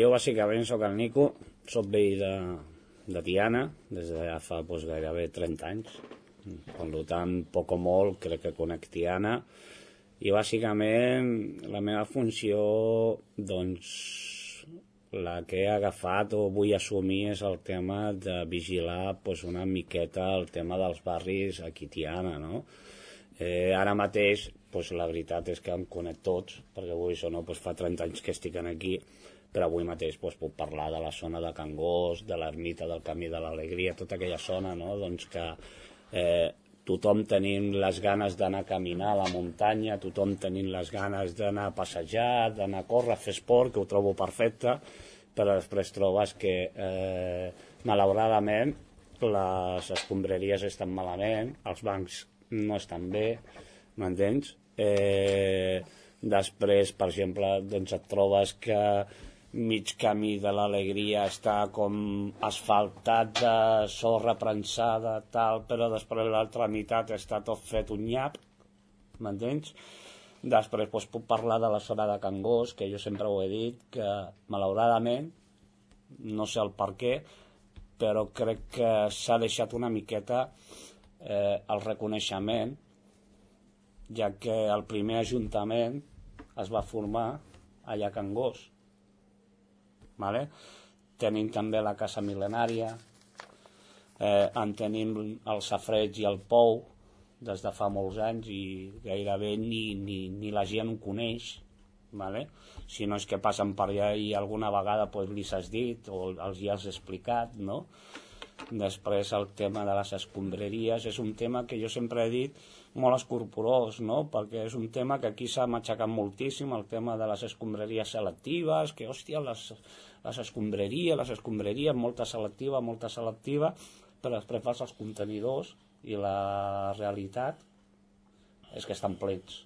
Jo bàsicament sóc el Nico, sóc veí de Tiana des de ja fa gairebé 30 anys. Per tant, poc o molt crec que conec Tiana, i bàsicament la meva funció, doncs, la que he agafat o vull assumir és el tema de vigilar una miqueta el tema dels barris aquí a Tiana, no? Ara mateix, la veritat és que em conec tots, perquè avui fa 30 anys que estic aquí, però avui mateix puc parlar de la zona de Can Gos, de l'ermita del Camí de l'Alegria, tota aquella zona, no? Doncs que tothom tenim les ganes d'anar a caminar a la muntanya, tothom tenim les ganes d'anar a passejar, d'anar a córrer, a fer esport, que ho trobo perfecte, però després trobes que malauradament les escombraries estan malament, els bancs no estan bé, m'entens? Després, per exemple, doncs et trobes que mig camí de l'Alegria està com asfaltat de sorra prensada, tal, però després l'altra meitat està tot fet un nyap, m'entens? Després puc parlar de la zona de Can Gos, que jo sempre ho he dit, que malauradament, no sé el per què, però crec que s'ha deixat una miqueta el reconeixement, ja que el primer ajuntament es va formar allà a Can Gos. Vale? Tenim també la Casa Mil·lenària, en tenim el safareig i el pou des de fa molts anys, i gairebé ni la gent ho coneix, vale? Si no és que passen per allà i alguna vegada li has dit o els hi has explicat, no? Després el tema de les escombraries és un tema que jo sempre he dit molt escorporós, no? Perquè és un tema que aquí s'ha matxacat moltíssim, el tema de les escombraries selectives, que hòstia, les escombraries, molta selectiva, però després fas els contenidors i la realitat és que estan plens.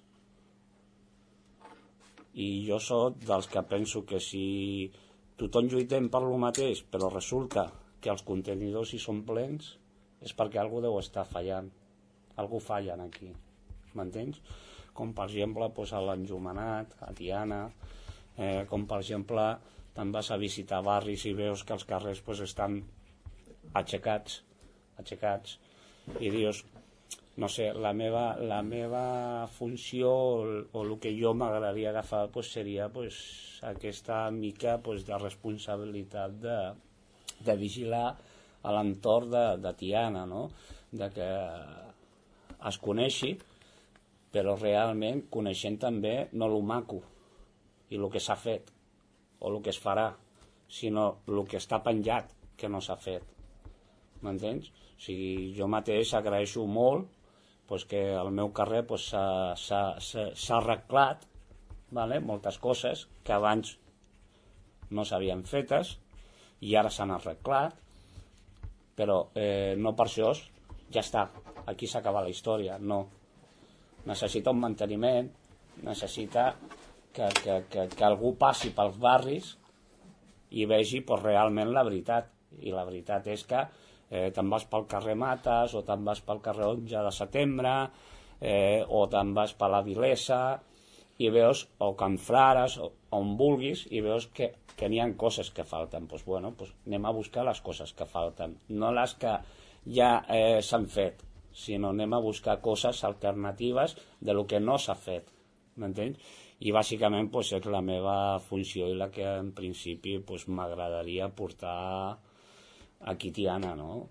I jo soc dels que penso que si tothom lluitem per lo mateix, però resulta que els contenidors hi són plens, és perquè algú deu estar fallant. Algú falla aquí, m'entens? Com per exemple a l'Enjomenat, a Tiana, com per exemple te'n vas a visitar barris i veus que els carrers estan aixecats, i dius, no sé, la meva funció o el que jo m'agradaria agafar seria aquesta mica de responsabilitat de vigilar a l'entorn de Tiana, no? De que es coneixi, però realment coneixent també no el maco i el que s'ha fet o el que es farà, sinó el que està penjat que no s'ha fet, m'entens? O sigui, jo mateix agraeixo molt que al meu carrer s'ha arreglat, moltes coses que abans no s'havien fetes i ara s'han arreglat, però no per això ja està, aquí s'acaba la història, no. Necessita un manteniment, necessita que algú passi pels barris i vegi realment la veritat, i la veritat és que te'n vas pel carrer Mates o te'n vas pel carrer 11 de setembre o te'n vas per la Vilesa i veus, o Can Frares, on vulguis, i veus que n'hi ha coses que falten. Doncs anem a buscar les coses que falten, no les que ja s'han fet, sinó anem a buscar coses alternatives de lo que no s'ha fet, m'entens? I bàsicament és la meva funció i la que en principi m'agradaria portar aquí a Tiana, no?